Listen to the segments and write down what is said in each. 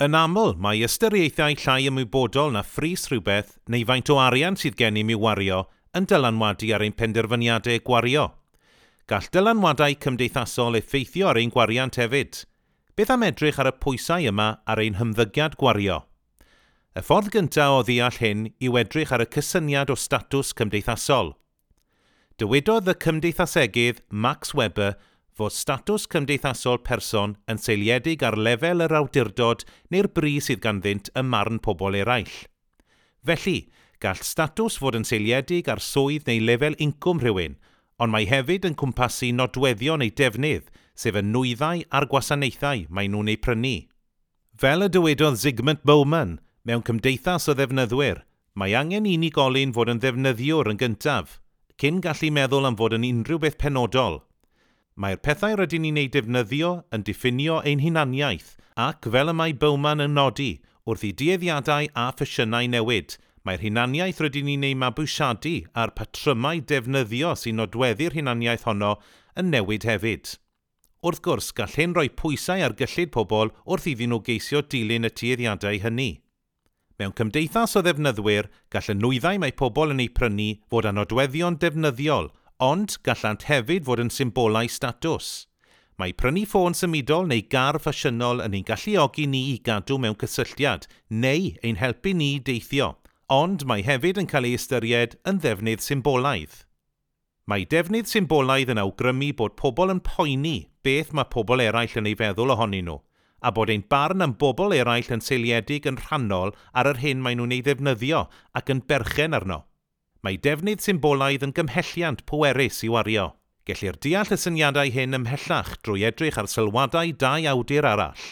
Yn aml, mae ystyriaethau llai ymwybodol na phris rhywbeth neu faint o arian sydd gennym i'w wario yn dylanwadu ar ein penderfyniadau gwario. Gall dylanwadau cymdeithasol effeithio ar ein gwariant hefyd. Beth am edrych ar y pwysau yma ar ein hymddygiad gwario? Y ffordd gyntaf o ddeall hyn yw edrych ar y cysyniad o statws cymdeithasol. Dywedodd y cymdeithasegydd Max Weber fod statws cymdeithasol person yn seiliedig ar lefel yr awdurdod neu'r bri sydd ganddynt ym marn pobl eraill. Felly, gall statws fod yn seiliedig ar swydd neu lefel incwm rhywun, ond mae hefyd yn cwmpasu nodweddion eu defnydd, sef y nwyddau a'r gwasanaethau maen nhw'n eu prynu. Fel y dywedodd Zygmunt Bauman mewn Cymdeithas o Ddefnyddwyr, mae angen i unigolyn fod yn ddefnyddiwr yn gyntaf, cyn gallu meddwl am fod yn unrhyw beth penodol. Mae'r pethau rydyn ni'n eu defnyddio yn diffinio ein hunaniaeth ac, fel y mae Bauman yn nodi, wrth i dueddiadau a ffasiynau newid, mae'r hunaniaeth rydyn ni'n ei mabwysiadu a'r patrymau defnyddio sy'n nodweddu'r hunaniaeth honno yn newid hefyd. Wrth gwrs, gall hyn roi pwysau ar gyllid pobl wrth iddyn nhw geisio dilyn y tueddiadau hynny. Mewn cymdeithas o ddefnyddwyr, gall y nwyddau mae pobl yn eu prynu fod â nodweddion defnyddiol, ond gallant hefyd fod yn symbolau statws. Mae prynu ffôn symudol neu gar ffasiynol yn ein galluogi ni i gadw mewn cysylltiad neu ein helpu ni i deithio, ond mae hefyd yn cael ei ystyried yn ddefnydd symbolaidd. Mae defnydd symbolaidd yn awgrymu bod pobl yn poeni beth mae pobl eraill yn ei feddwl ohonyn nhw, a bod ein barn am bobl eraill yn seiliedig yn rhannol ar yr hyn maen nhw'n ei ddefnyddio ac yn berchen arno. Mae defnydd symbolaidd yn gymhelliant pwerus i wario. Gellir deall y syniadau hyn ymhellach drwy edrych ar sylwadau dau awdur arall.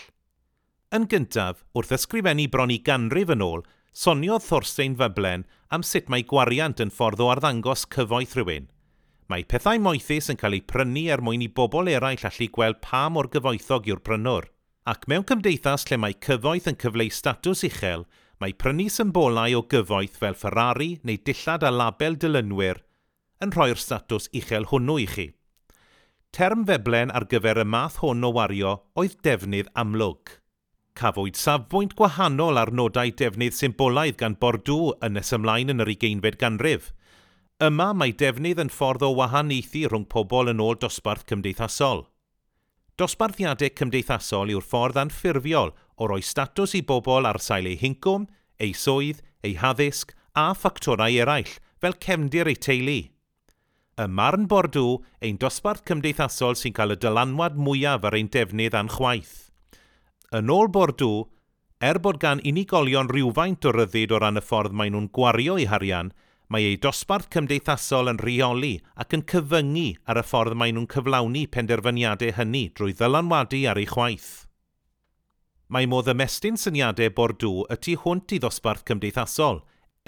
Yn gyntaf, wrth ysgrifennu bron i ganrif yn ôl, soniodd Thorstein Veblen am sut mae gwariant yn ffordd o arddangos cyfoeth rhywun. Mae pethau moethus yn cael eu prynu er mwyn i bobl eraill allu gweld pa mor gyfoethog yw'r prynwr. Ac mewn cymdeithas lle mae cyfoeth yn cyfleu statws uchel, mae prynu symbolau o gyfoeth fel Ferrari neu dillad â label dilynwyr yn rhoi'r statws uchel hwnnw i chi. Term Veblen ar gyfer y math hwn o wario oedd defnydd amlwg. Cafwyd safbwynt gwahanol ar nodau defnydd symbolaidd gan Bourdieu yn nes ymlaen yn yr ugeinfed ganrif. Yma mae defnydd yn ffordd o wahaniaethu rhwng pobl yn ôl dosbarth cymdeithasol. Dosbarthiadau cymdeithasol yw'r ffordd anffurfiol o roi statws i bobl ar sail eu hincwm, eu swydd, eu haddysg a ffactorau eraill, fel cefndir eu teulu. Ym marn Bourdieu, ein dosbarth cymdeithasol sy'n cael y dylanwad mwyaf ar ein defnydd a'n chwaeth. Yn ôl Bourdieu, er bod gan unigolion rywfaint o ryddid o ran y ffordd maen nhw'n gwario eu harian, mae eu dosbarth cymdeithasol yn rheoli ac yn cyfyngu ar y ffordd maen nhw'n cyflawni penderfyniadau hynny drwy ddylanwadu ar eu chwaeth. Mae modd ymestyn syniadau Bourdieu y tu hwnt i ddosbarth cymdeithasol,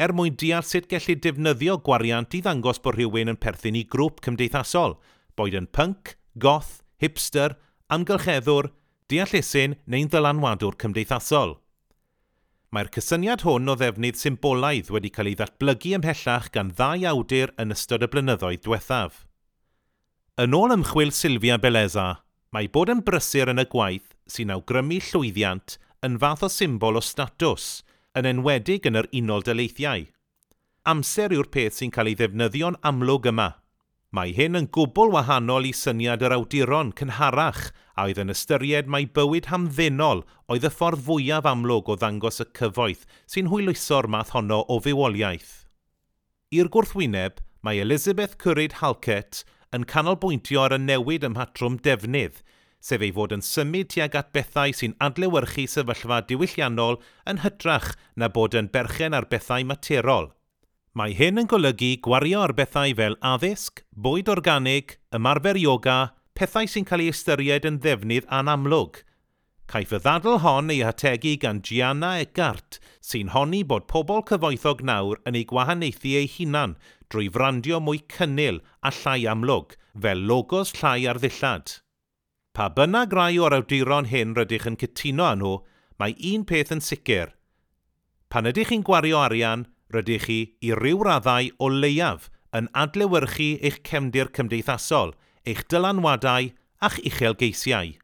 er mwyn deall sut gellid defnyddio gwariant i ddangos bod rhywun yn perthyn i grŵp cymdeithasol, boed yn punk, goth, hipster, amgylcheddwr, deallusyn neu'n ddylanwadwr cymdeithasol. Mae'r cysyniad hwn o ddefnydd symbolaidd wedi cael ei ddatblygu ymhellach gan ddau awdur yn ystod y blynyddoedd diwethaf. Yn ôl ymchwil Silvia Bellezza, mae bod yn brysur yn y gwaith sy'n awgrymu llwyddiant yn fath o symbol o statws, yn enwedig yn yr Unol Daleithiau. Amser yw'r peth sy'n cael ei ddefnyddio'n amlwg yma. Mae hyn yn gwbl wahanol i syniad yr awduron cynharach a oedd yn ystyried mai bywyd hamddenol oedd y ffordd fwyaf amlwg o ddangos y cyfoeth sy'n hwyluso'r math honno o fywoliaeth. I'r gwrthwyneb, mae Elizabeth Currid Halkett yn canolbwyntio ar y newid ym mhatrwm defnydd, sef ei fod yn symud tuag at bethau sy'n adlewyrchu sefyllfa diwylliannol yn hytrach na bod yn berchen ar bethau materol. Mae hyn yn golygu gwario ar bethau fel addysg, bwyd organig, ymarfer yoga, pethau sy'n cael eu ystyried yn ddefnydd anamlwg. Caiff y ddadl hon ei hategu gan Gianna Eckart, sy'n honni bod pobl cyfoethog nawr yn eu gwahaniaethu eu hunan drwy frandio mwy cynnil a llai amlwg, fel logos llai ar ddillad. Pa bynnag rai o'r awduron hyn rydych yn cytuno â nhw, mae un peth yn sicr. Pan ydych chi'n gwario arian, rydych chi, i ryw raddau o leiaf, yn adlewyrchu eich cefndir cymdeithasol, eich dylanwadau a'ch uchelgeisiau.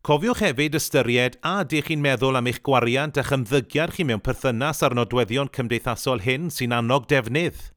Cofiwch hefyd ystyried a ydych chi'n meddwl am eich gwariant a'ch ymddygiad chi mewn perthynas â'r nodweddion cymdeithasol hyn sy'n annog defnydd.